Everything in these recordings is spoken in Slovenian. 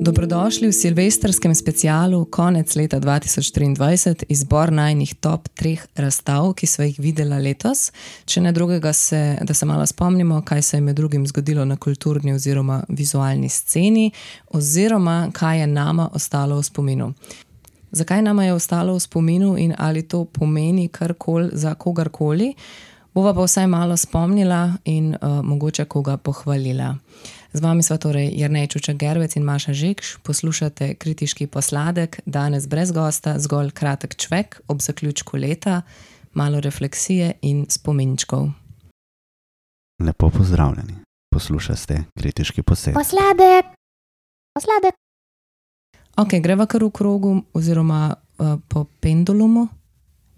Dobrodošli v silvestrskem specialu konec leta 2023, izbor najnih top 3 razstav, ki sva jih videla letos. Če ne drugega, da se malo spomnimo, kaj se je med drugim zgodilo na kulturni oziroma vizualni sceni, oziroma kaj je nama ostalo v spominu. Zakaj nama je ostalo v spominu in ali to pomeni karkoli za kogarkoli, bova pa vsaj malo spomnila in mogoče koga pohvalila. Z vami sva torej Jernej Čučak-Gervec in Maša Žekš, poslušate Kritiški posladek, danes brez gosta, zgolj kratek čvek ob zaključku leta, malo refleksije in spominčkov. Lepo pozdravljeni, poslušate Kritiški posladek. Ok, greva kar v krogu oziroma po pendulumu,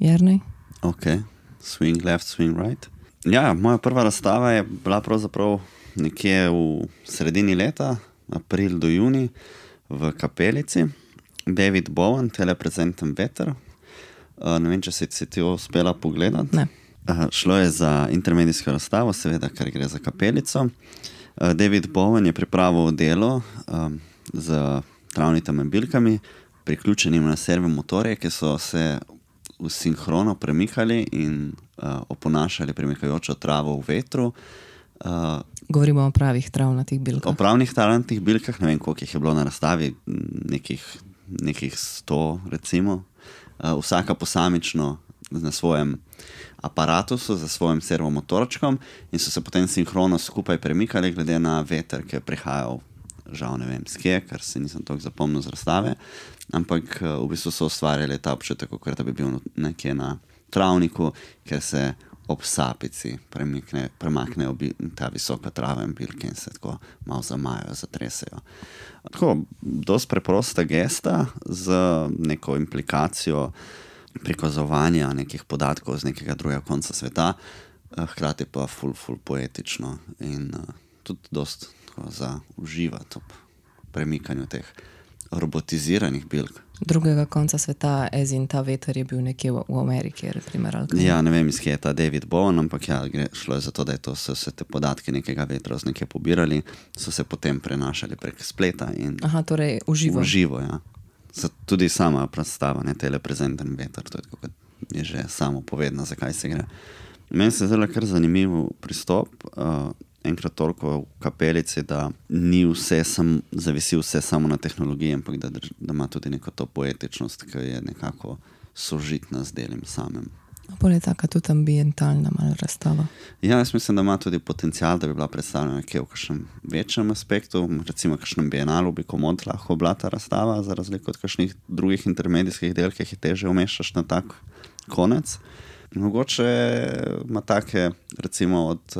Jernej? Ok, swing left, swing right. Ja, moja prva razstava je bila pravzaprav nekje v sredini leta, april do juni, v Kapelici. David Bowen, Telepresentem veter. Ne vem, če si ti uspela pogledati. Ne. Šlo je za intermedijsko razstavo, seveda, ker gre za Kapelico. David Bowen je pripravil delo z travnitimi bilkami, priključenim na servomotorje, ki so se v sinhrono premikali in oponašali premikajočo travo v vetru. Govorimo o pravih travnatih bilkah. O pravnih travnatih bilkah, ne vem, koliko jih je bilo na razstavi, nekih 100 recimo. Vsaka posamično na svojem aparatusu, za svojim servomotorčkom in so se potem sinhrono skupaj premikali glede na veter, ki je prihajal, žal ne vem skje, ker se nisem toliko zapomnil z razstave, ampak v bistvu so ustvarjali ta občutek, kot da bi bil nekje na travniku, ker se ob sapici premaknejo ta visoka trava in bilke in se tako malo zamajajo, zatresejo. Tako, dosti preprosta gesta z neko implikacijo prikazovanja nekih podatkov z nekega drugega konca sveta, hkrati pa ful poetično in tudi dosti za uživati ob premikanju teh robotiziranih bilk. Drugega konca sveta, in ta veter je bil nekje v Ameriki, primer, ali kaj? Ja, ne vem, iz kje je ta David Bowen, ampak ja, šlo je za to, da so se te podatke nekega vetra z nekje pobirali, so se potem prenašali prek spleta in torej uživo. Uživo, ja. Tudi sama predstava, ne, Telepresentem veter, to je tako, kot je že samo povedno, zakaj se gre. Meni se zelo kar zanimiv pristop, enkrat toliko v Kapelici, da ni zavisi vse samo na tehnologiji, ampak da ima tudi neko to poetičnost, ki je nekako sožitna z delim samim. Bolj je taka tudi ambientalna malo razstava. Ja, jaz mislim, da ima tudi potencial, da bi bila predstavljena nekje v kakšnem večjem aspektu, recimo kakšnem bienalu bi komod lahko bila ta razstava, za razliko od kakšnih drugih intermedijskih del, ki jih teže umeščaš na tak konec. Mogoče ima take, recimo od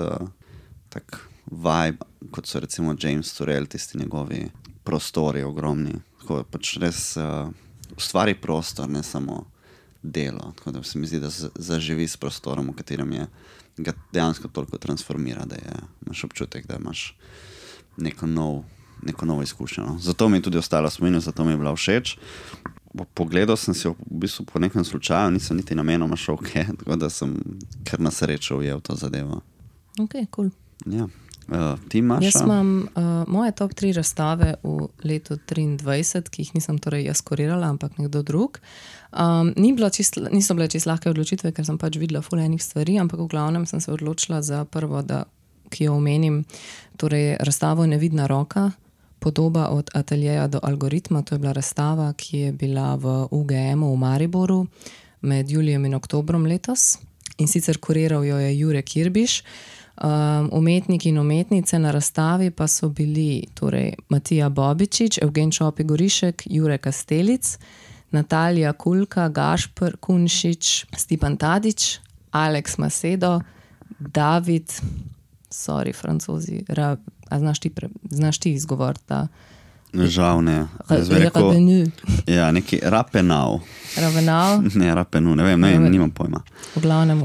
tak vibe, kot so recimo James Turrell, tisti njegovi prostori ogromni. Tako pač res ustvari prostor, ne samo delo. Tako da se mi zdi, da zaživi s prostorom, v katerem ga dejansko toliko transformira, da imaš občutek, da imaš neko novo izkušnjo. Zato mi je tudi ostala spomin, zato mi je bila všeč. Pogledal sem si v bistvu po nekem slučaju, nisem niti namenoma šel kje, tako da sem kar na srečo ujel to zadevo. Ok, cool. Ja. Ti, Maša? Jaz imam moje top 3 razstave v letu 2023, ki jih nisem torej jaz kurirala, ampak nekdo drug. Niso bile čisto lahke odločitve, ker sem pač videla ful enih stvari, ampak v glavnem sem se odločila za prvo, ki jo omenim, torej razstavo Nevidna roka, podoba od ateljeja do algoritma. To je bila razstava, ki je bila v UGM-u v Mariboru med julijem in oktobrom letos. In sicer kuriral jo je Jure Kirbiš. Umetniki in umetnice na razstavi pa so bili torej Matija Bobičič, Evgen Čopi-Gorišek, Jure Kastelic, Natalija Kulka, Gašper Kunšič, Stipan Tadić, Alex Macedo, David, francozi, znaš ti izgovor ta? Žal ne. Ja, neki Rapenau. Rapenau? Ne, Rapenu, ne vem, nimam pojma. V glavnem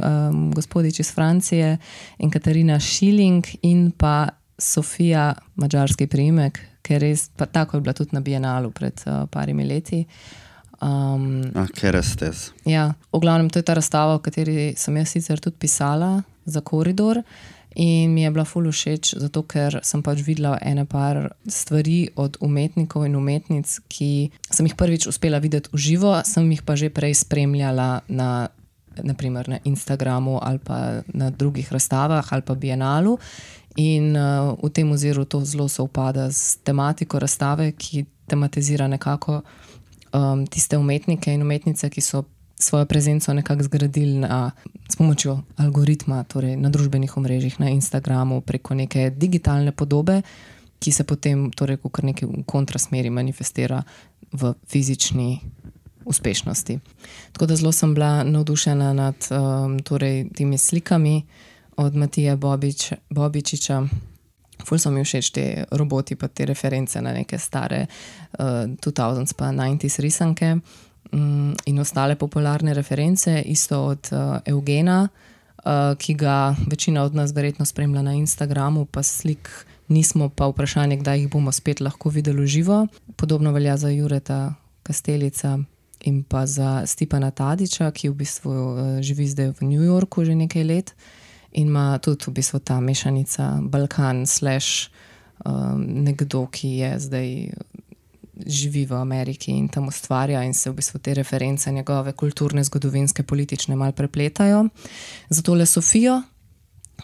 gospodič iz Francije in Katarina Schilling in pa Sofija, madžarski priimek, ker res, pa tako je bila tudi na Bienalu pred parimi leti. Kerestes. Ja, v glavnem to je ta razstava, v kateri sem jaz sicer tudi pisala za Koridor In mi je bila ful všeč, zato ker sem pač videla ene par stvari od umetnikov in umetnic, ki sem jih prvič uspela videti v živo, sem jih pa že prej spremljala naprimer na Instagramu ali pa na drugih razstavah ali pa Bienalu. In v tem oziru to zelo sovpada s tematiko razstave, ki tematizira nekako tiste umetnike in umetnice, ki so svojo prezenco nekako zgradili s pomočjo algoritma, torej na družbenih omrežjih, na Instagramu, preko neke digitalne podobe, ki se potem torej v kar neki kontrasmeri manifestira v fizični uspešnosti. Tako da zelo sem bila navdušena nad torej temi slikami od Matije Bobičiča. Ful so mi všeč te roboti pa te reference na neke stare 2000s pa 90s risanke in ostale popularne reference, isto od Eugena, ki ga večina od nas verjetno spremlja na Instagramu, pa slik nismo, pa vprašanje, kdaj jih bomo spet lahko videli v živo. Podobno velja za Jureta Kastelica in pa za Stipana Tadića, ki v bistvu živi zdaj v New Yorku že nekaj let in ima tudi v bistvu ta mešanica Balkan / nekdo, ki je zdaj živi v Ameriki in tam ustvarja in se v bistvu te reference njegove kulturne, zgodovinske, politične mal prepletajo. Zato le Sofijo,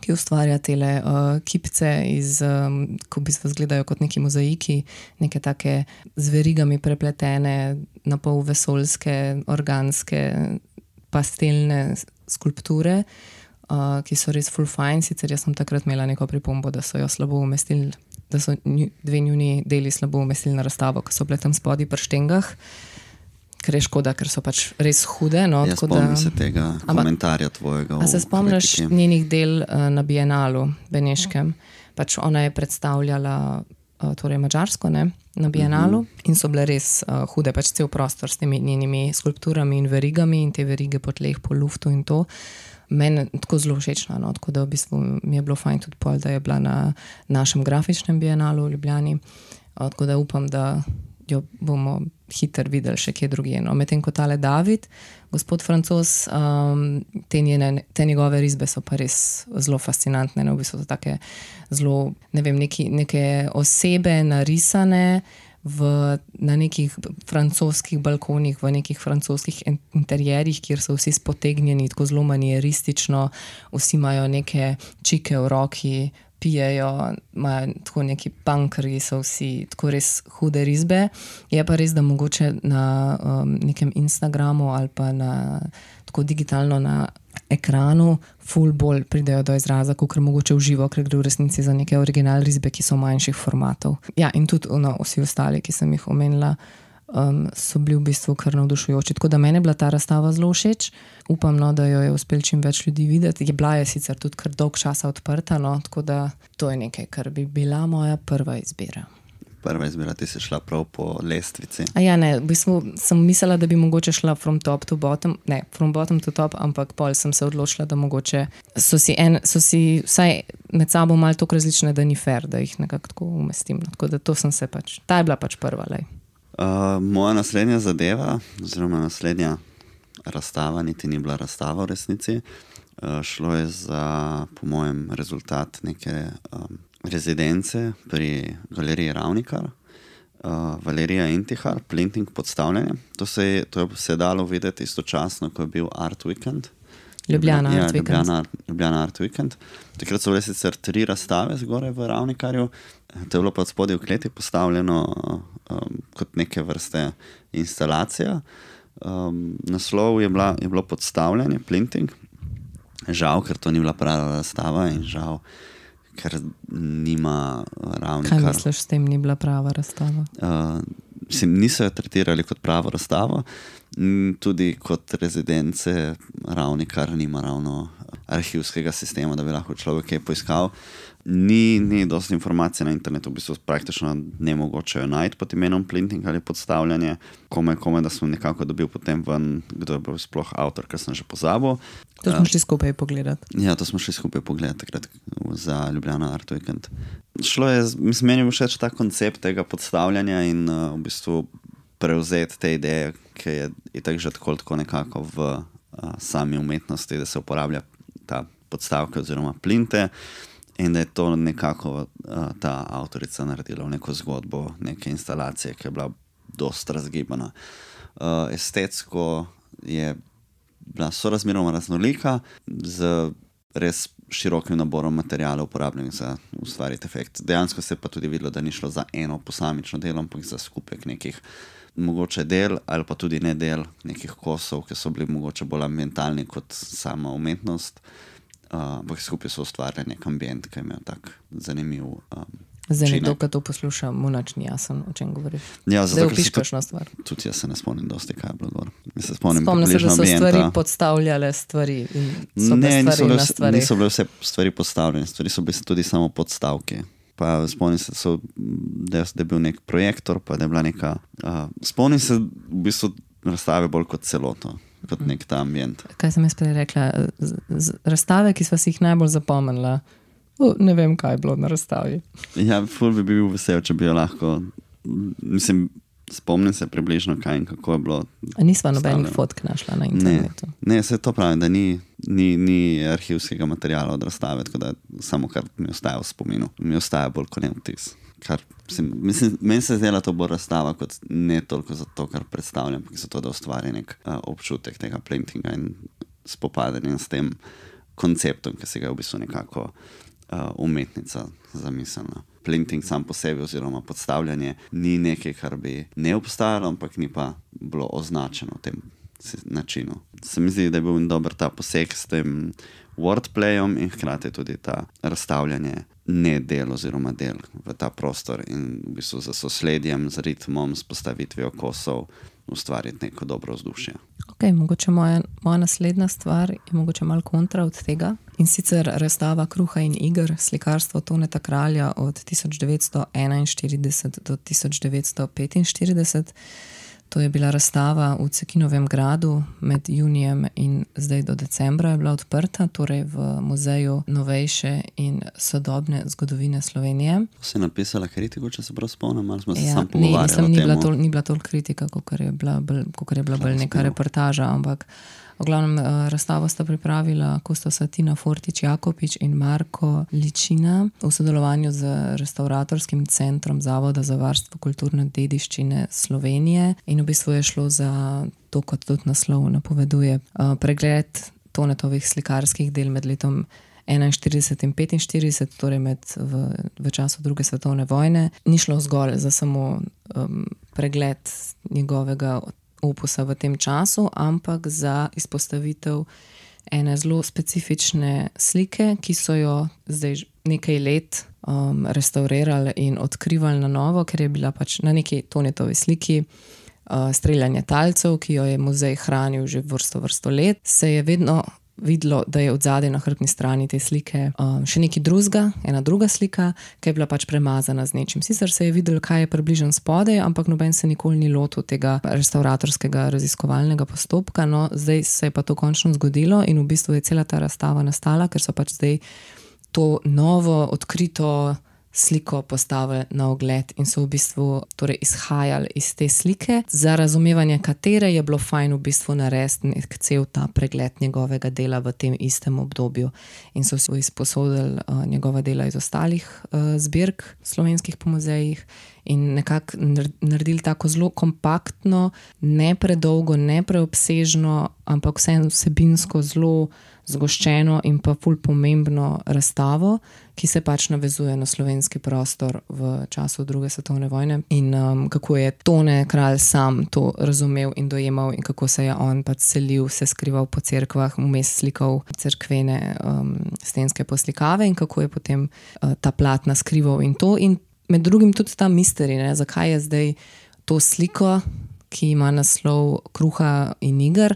ki ustvarja tele kipce ko v bistvu izgledajo kot neki mozaiki, neke take z verigami prepletene, na pol vesoljske, organske, pastelne skulpture, ki so res full fine. Sicer jaz sem takrat imela neko pripombo, da so jo slabo umestili, da so dve njuni deli slabo umestili na razstavo, ko so bile tam spodaj pri štengah, ker je škoda, ker so pač res hude. No, jaz spomnim se tega komentarja tvojega. A se spomniš njenih del na Bienalu beneškem? Pač ona je predstavljala torej Madžarsko, ne, na Bienalu in so bile res hude, pač cel prostor s temi njenimi skulpturami in verigami in te verige po tleh, po luftu in to. Meni tako zelo všečna, no, tako da v bistvu mi je bilo fajn tudi pol, da je bila na našem grafičnem Bienalu v Ljubljani, tako da upam, da jo bomo hitro videli še kje drugje. No, medtem ko tale David, gospod Francoz, te njegove risbe so pa res zelo fascinantne, no, v bistvu so take zelo, ne vem, neke osebe narisane na nekih francoskih balkonih, v nekih francoskih interjerjih, kjer so vsi spotegnjeni, tako zelo manieristično, vsi imajo neke čike v roki, pijejo, imajo tako neki punkerji, so vsi tako res hude risbe. Je pa res, da mogoče na nekem Instagramu ali pa tako digitalno na ekranu ful bolj pridejo do izraza, kakor mogoče v živo, ker gre v resnici za neke original risbe, ki so manjših formatov. Ja, in tudi vsi ostali, ki sem jih omenila, so bili v bistvu kar navdušujoči. Tako da meni je bila ta razstava zelo všeč. Upam, no, da jo je uspel čim več ljudi videti. Bila je sicer tudi kar dolg časa odprta, no, tako da to je nekaj, kar bi bila moja prva izbira. Prva izbira, ti si šla prav po lestvici. Ne, v bistvu sem mislila, da bi mogoče šla from top to bottom, ne, from bottom to top, ampak pol sem se odločila, da mogoče so si vsaj med sabo malo toliko različne, da ni fair, da jih nekako tako umestim. Tako da to sem se pač, ta je bila pač prva, lej. Moja naslednja zadeva, oziroma naslednja razstava, niti ni bila razstava v resnici. Šlo je za, po mojem, rezultat neke rezidence pri galeriji Ravnikar, Valerija Intihar, Plinting podstavljanje. To se je dalo videti istočasno, ko je bil Art Weekend. Ljubljana Art Weekend. Takrat so bile sicer 3 razstave zgoraj v Ravnikarju. To je bilo pa spodaj v kleti postavljeno kot neke vrste instalacija. Naslov je bilo podstavljanje, Plinting. Žal, ker to ni bila prava razstava in žal, ker nima Ravnikar. Kaj misliš, s tem ni bila prava razstava? Niso jo tretirali kot pravo razstavo, tudi kot rezidence Ravnikar nima ravno arhivskega sistema, da bi lahko človek kaj poiskal. Ni dosti informacij na internetu, v bistvu praktično nemogoče jo najti pod imenom Plinting ali podstavljanje. Kome, da sem nekako dobil potem ven, kdo je bil sploh avtor, ker sem že pozabil. To smo šli skupaj pogledati. Ja, to smo šli skupaj pogledati takrat za Ljubljana Art Weekend. Šlo je, meni je všeč ta koncept tega podstavljanja in v bistvu prevzeti te ideje, ki je itak že tako nekako v sami umetnosti, da se uporablja ta podstavke oziroma plinte. In da je to nekako ta avtorica naredila v neko zgodbo, neke instalacije, ki je bila dost razgibana. Estetsko je bila sorazmeroma raznolika, z res širokim naborom materijalov uporabljenih za ustvariti efekt. Dejansko se je pa tudi videlo, da ni šlo za eno posamično delo, ampak za skupek nekih mogoče del ali pa tudi ne del nekih kosov, ki so bili mogoče bolj ambientalni kot sama umetnost. Ampak skupaj so ustvarjali nek ambient, ki je imel tak zanimiv Zdaj nekdo, ki to posluša, mu nič ni jasno, o čem govoriš. Ja, Zdaj opiš kakšno stvar. Tudi jaz se ne spomnim dosti, kaj je bilo dvor. Spomnim se, da so stvari podstavljale stvari in so bile stvari na stvari. Niso bile vse stvari podstavljene, stvari so bile tudi samo podstavke. Pa spomnim se, da je bil nek projektor, pa da je bila neka... spomnim se v bistvu razstave bolj kot celoto, kot nek ta ambient. Kaj sem jaz prej rekla? Razstave, ki sva si jih najbolj zapomnila, ne vem, kaj je bilo na razstavi. Ja, ful bi bil vesel, če bi jo lahko... Mislim, spomnim se približno, kaj in kako je bilo... A nisva nobenih fotk našla na internetu? Ne, se to pravi, da ni arhivskega materijala od razstave, tako da samo kar mi ostaja v spominu. Mi ostaja bolj kot ne vtis. Meni se zdela to bolj razstava, kot ne toliko za to, kar predstavljam, ampak za to, da ustvari nek občutek tega printinga in spopadanja s tem konceptom, ki se ga v bistvu nekako umetnica zamislila. Printing sam po sebi oziroma podstavljanje ni nekaj, kar bi ne obstajalo, ampak ni pa bilo označeno v tem načinu. Se mi zdi, da je bil dober ta poseg s tem wordplayom in hkrati tudi ta razstavljanje ne del oziroma del v ta prostor in v bistvu z sosledjem, z ritmom, s postavitvijo kosov ustvariti neko dobro vzdušje. Ok, mogoče moja naslednja stvar je mogoče malo kontra od tega. In sicer razstava Kruha in iger, slikarstvo Toneta Kralja od 1941 do 1945. To je bila razstava v Cekinovem gradu med junijem in zdaj do decembra je bila odprta, torej v Muzeju novejše in sodobne zgodovine Slovenije. Si napisala kritiko, če se prav spomnim, ali smo se sam pogovarjali o temu? Ni bila toliko kritika, kakor je bila bolj neka reportaža, ampak v glavnem razstavo sta pripravila Kostosa Tina Fortič-Jakopič in Marko Ličina v sodelovanju z Restauratorskim centrom Zavoda za varstvo kulturne dediščine Slovenije in v bistvu je šlo za to, kot tudi naslov napoveduje, pregled Tonetovih slikarskih del med letom 41 in 45, torej v času druge svetovne vojne. Ni šlo zgolj za samo pregled njegovega opusa v tem času, ampak za izpostavitev ene zelo specifične slike, ki so jo zdaj nekaj let restaurirali in odkrivali na novo, ker je bila pač na neki Tonetovi sliki streljanje talcev, ki jo je muzej hranil že vrsto let, se je vedno videlo, da je odzadaj na hrbtni strani te slike še nekaj drugega, ena druga slika, ki je bila pač premazana z nečim. Sicer se je videlo, kaj je približno spodaj, ampak noben se nikoli ni lotil tega restauratorskega raziskovalnega postopka. No, zdaj se je pa to končno zgodilo in v bistvu je cela ta razstava nastala, ker so pač zdaj to novo, odkrito sliko postavili na ogled in so v bistvu torej izhajali iz te slike, za razumevanje katere je bilo fajn v bistvu narediti nek cel ta pregled njegovega dela v tem istem obdobju. In so si izposodili njegova dela iz ostalih zbirk slovenskih po muzejih in nekako naredili tako zelo kompaktno, ne predolgo, ne preobsežno, ampak vseeno vsebinsko zelo zgoščeno in pa ful pomembno razstavo, ki se pač navezuje na slovenski prostor v času druge svetovne vojne in kako je Tone Kralj sam to razumel in dojemal in kako se je on pač selil, se skrival po cerkvah, vmes slikal cerkvene stenske poslikave in kako je potem ta platna skrival in to. In med drugim tudi ta misteri, zakaj je zdaj to sliko, ki ima naslov Kruha in iger,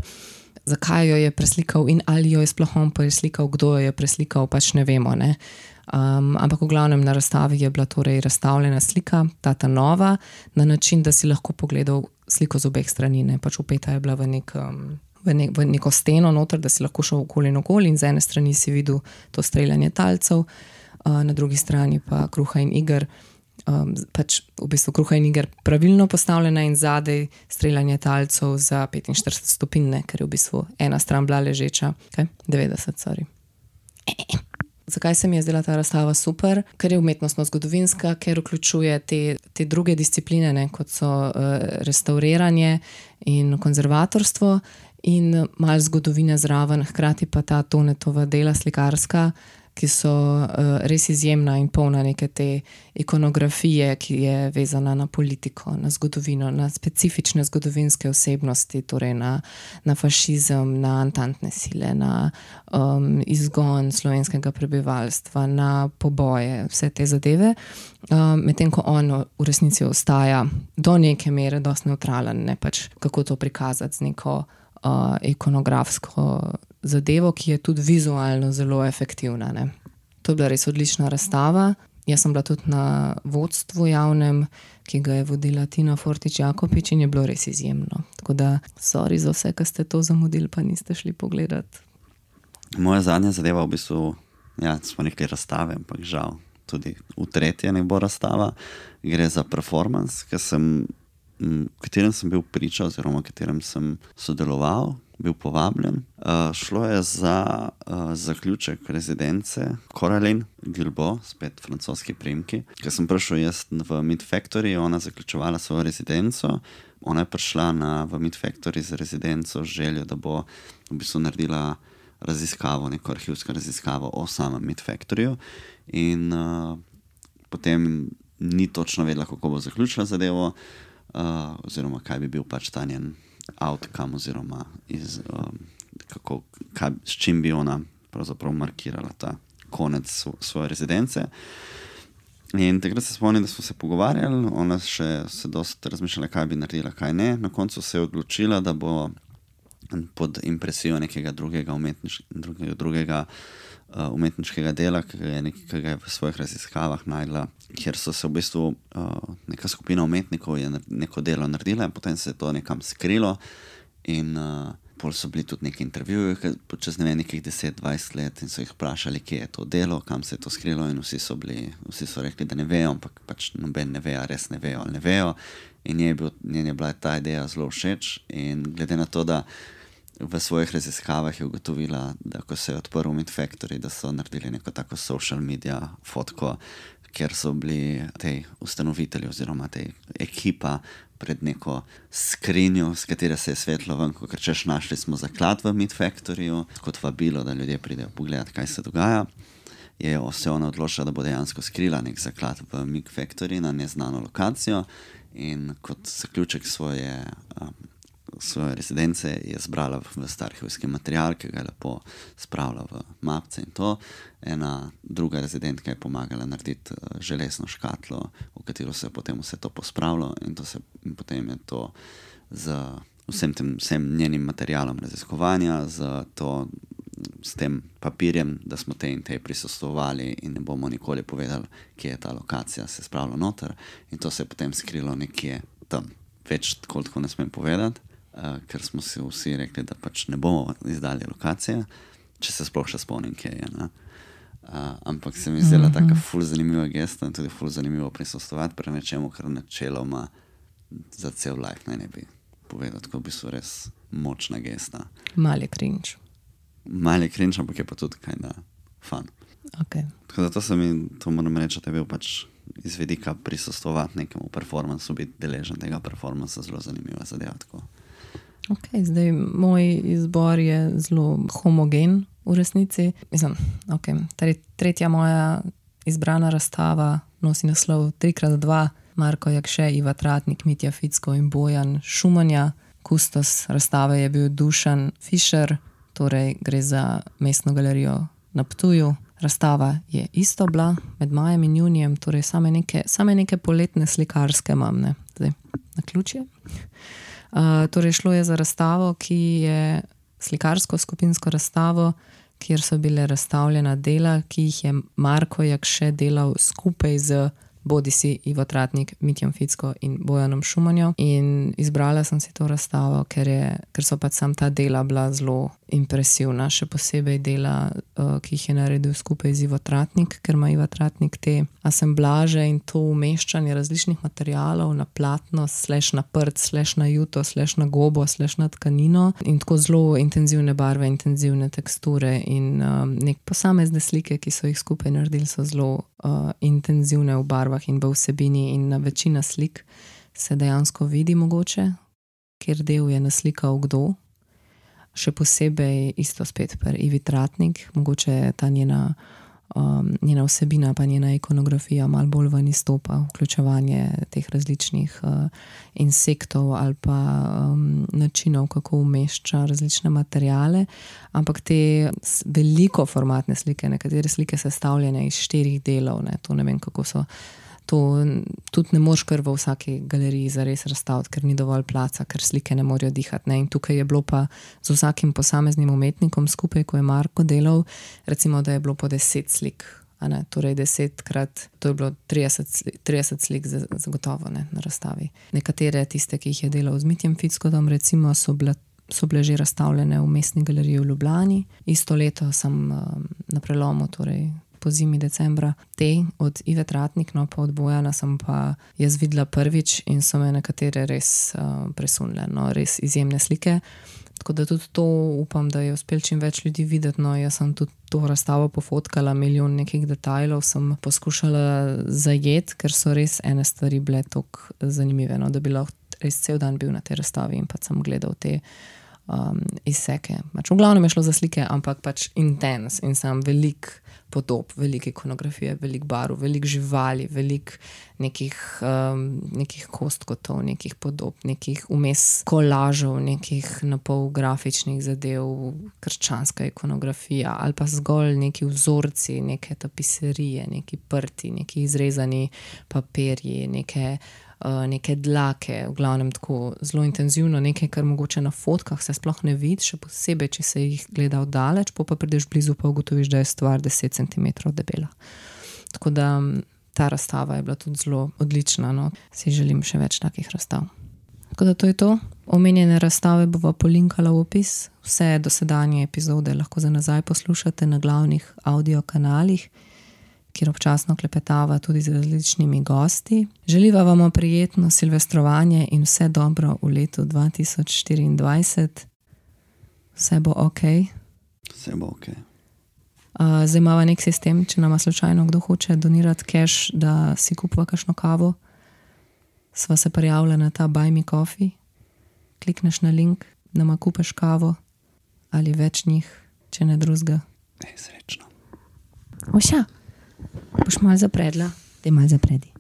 zakaj jo je preslikal in ali jo je sploh on preslikal, kdo jo je preslikal, pač ne vemo. Ne? Ampak v glavnem na razstavi je bila torej razstavljena slika, ta nova, na način, da si lahko pogledal sliko z obeh strani. Ne? Pač upeta je bila v neko steno noter, da si lahko šel okoli in okoli in z ene strani si videl to streljanje talcev, na drugi strani pa Kruha in iger, pač v bistvu Kruha in iger pravilno postavljena in zadej streljanje talcev za 45 stopinj, ker je v bistvu ena stran bila ležeča. 90, sorry. Zakaj se mi je zdela ta razstava super? Ker je umetnostno-zgodovinska, ker vključuje te druge discipline, ne, kot so restauriranje in konzervatorstvo in malo zgodovine zraven, hkrati pa ta Tonetova dela slikarska, ki so res izjemna in polna neke te ikonografije, ki je vezana na politiko, na zgodovino, na specifične zgodovinske osebnosti, torej na fašizem, na antantne sile, na izgon slovenskega prebivalstva, na poboje, vse te zadeve. Medtem ko on v resnici ostaja do neke mere dosti nevtralen, ne pač kako to prikazati z neko ikonografsko zadevo, ki je tudi vizualno zelo efektivna. Ne. To je bila res odlična razstava. Jaz sem bila tudi na vodstvu javnem, ki ga je vodila Tina Fortič Jakopič in je bilo res izjemno. Tako da, sorry za vse, ki ste to zamudili, pa niste šli pogledati. Moja zadnja zadeva v bistvu, smo rekli razstave, ampak žal tudi v tretje ne bo razstava. Gre za performance, v katerem sem bil priča oziroma v katerem sem sodeloval, bil povabljen. Šlo je za zaključek rezidence Coraline Guilbaut, spet francoski priimki. Ker sem prišel jaz v Meat Factory, ona zaključevala svojo rezidenco. Ona je prišla v Meat Factory z rezidenco z željo, da bo v bistvu naredila raziskavo, neko arhivsko raziskavo o samem Meat Factoryju. In potem ni točno vedela, kako bo zaključila zadevo, oziroma kaj bi bil pač ta njen outcome, oziroma s čim bi ona pravzaprav markirala ta konec svoje rezidence. In takrat se spomnim, da smo se pogovarjali, ona še se dosti razmišljala, kaj bi naredila, kaj ne. Na koncu se je odločila, da bo pod impresijo nekega drugega umetniškega dela, ki ga je v svojih raziskavah najdla, kjer so se v bistvu neka skupina umetnikov je neko delo naredila in potem se je to nekam skrilo in pol so bili tudi neki intervjuji čez nekih 10-20 let in so jih vprašali, kje je to delo, kam se je to skrilo in vsi so rekli, da ne vejo, ampak pač noben ne ve, res ne vejo ali ne vejo in njej je bila ta ideja zelo všeč in glede na to, da v svojih raziskavah je ugotovila, da ko se je odprl Meat Factory, da so naredili neko tako social media fotko, kjer so bili tej ustanovitelji oziroma tej ekipa pred neko skrinjo, s katere se je svetlo ven, ko češ našli smo zaklad v Meat Factoryju, kot vabilo, da ljudje pridejo pogledati, kaj se dogaja. Je se ona odločila, da bo dejansko skrila nek zaklad v Meat Factory na neznano lokacijo in kot zaključek svoje rezidence je zbrala v star arhivski material, ki ga je lepo spravila v mapce in to. Ena druga rezidentka je pomagala narediti železno škatlo, v katero se je potem vse to pospravilo in potem je to z vsem njenim materialom raziskovanja, s tem papirjem, da smo te in te prisostvovali in ne bomo nikoli povedali, kje je ta lokacija se spravila noter in to se je potem skrilo nekje tam. Več koliko ne smem povedati, ker smo si vsi rekli, da pač ne bomo izdali lokacije, če se sploh še spomnim, kje je. Ampak se mi zdela taka ful zanimiva gesta in tudi ful zanimivo prisostovati pri nečemu, kar načeloma za cel life ne bi povedal, tako bi so res močna gesta. Mal je cringe. Mal je cringe, ampak je pa tudi kinda fun. Okay. Tako da to moram reči, da je bil pač iz vidika prisostovati nekemu performansu, biti deležen tega performansa, zelo zanimiva zadeva. Ok, zdaj moj izbor je zelo homogen v resnici. Mislim, tretja moja izbrana razstava nosi naslov 3x2, Marko Jakše, Iva Tratnik, Mitja Ficko in Bojan Šumanja. Kustos razstave je bil Dušan Fišer, torej gre za Mestno galerijo na Ptuju. Razstava je isto bila med majem in junijem, torej same neke poletne slikarske imam, ne, zdaj na ključje. Torej šlo je za razstavo, ki je slikarsko skupinsko razstavo, kjer so bile razstavljena dela, ki jih je Marko Jakše delal skupaj z bodisi Ivo Tratnik, Mitjem Ficko in Bojanom Šumanjo. In izbrala sem si to razstavo, ker so pač sam ta dela bila zelo impresivna, še posebej dela, ki jih je naredil skupaj z Ivo Tratnik, ker ima Ivo Tratnik te asemblaže in to umeščanje različnih materialov na platno, / na prt, / na juto, / na gobo, / na tkanino in tako zelo intenzivne barve, intenzivne teksture in nek posamezne slike, ki so jih skupaj naredili, so zelo intenzivne v barvah in v vsebini in na večina slik se dejansko vidi mogoče, kjer del je naslikal kdo. Še posebej isto spet pri Ivi Tratnik, mogoče ta njena vsebina pa njena ikonografija malo bolj ven izstopa, vključevanje teh različnih insektov ali pa načinov, kako umešča različne materiale, ampak te veliko formatne slike, nekatere slike sestavljene iz 4 delov, ne, to ne vem, kako so. To tudi ne moreš kar v vsaki galeriji zares razstaviti, ker ni dovolj placa, ker slike ne morejo dihati. Ne? In tukaj je bilo pa z vsakim posameznim umetnikom skupaj, ko je Marko delal, recimo, da je bilo po 10 slik. Torej 10krat, to je bilo 30 slik zagotovo na razstavi. Nekatere tiste, ki jih je delal z Mitjem Fickom, recimo so bile že razstavljene v Mestni galeriji v Ljubljani. Isto leto sem na prelomu, torej po zimi decembra, te od Ive Tratnik, no pa od Bojana sem pa jaz videla prvič in so me nekatere res presunile, no, res izjemne slike. Tako da tudi to upam, da je uspel čim več ljudi videti, no, jaz sem tudi to razstavo pofotkala, milijon nekih detajlov sem poskušala zajeti, ker so res ene stvari bile toliko zanimive, no, da bi lahko res cel dan bil na tej razstavi in pa sem gledal te izseke. Pač v glavnem je šlo za slike, ampak pač intens in sem velik podob, veliko ikonografije, veliko barv, veliko živali, veliko nekih kostkotov, nekih podob, nekih vmes kolažov, nekih napol grafičnih zadev, krščanska ikonografija ali pa zgolj neki vzorci, neke tapiserije, neki prti, neki izrezani papirji, neke dlake, v glavnem tako zelo intenzivno, nekaj, kar mogoče na fotkah se sploh ne vidi, še posebej, če se jih gleda oddaleč, pa prideš blizu, pa ugotoviš, da je stvar 10 cm debela. Tako da ta razstava je bila tudi zelo odlična, no. Si želim še več takih razstav. Tako da to je to. Omenjene razstave bova polinkala v opis. Vse dosedanje epizode lahko za nazaj poslušate na glavnih audio kanalih, kjer občasno klepetava tudi z različnimi gosti. Želiva vam prijetno silvestrovanje in vse dobro v letu 2024. Vse bo okej. Vse bo okej. Zdaj imava nek sistem, če nama slučajno kdo hoče donirati cash, da si kupva kakšno kavo. Sva se prijavila na ta Buy Me Coffee. Klikneš na link, nama kupeš kavo ali več njih, če ne drugega. Srečno. Oša! Boš malo zapredla? Daj malo zapredi.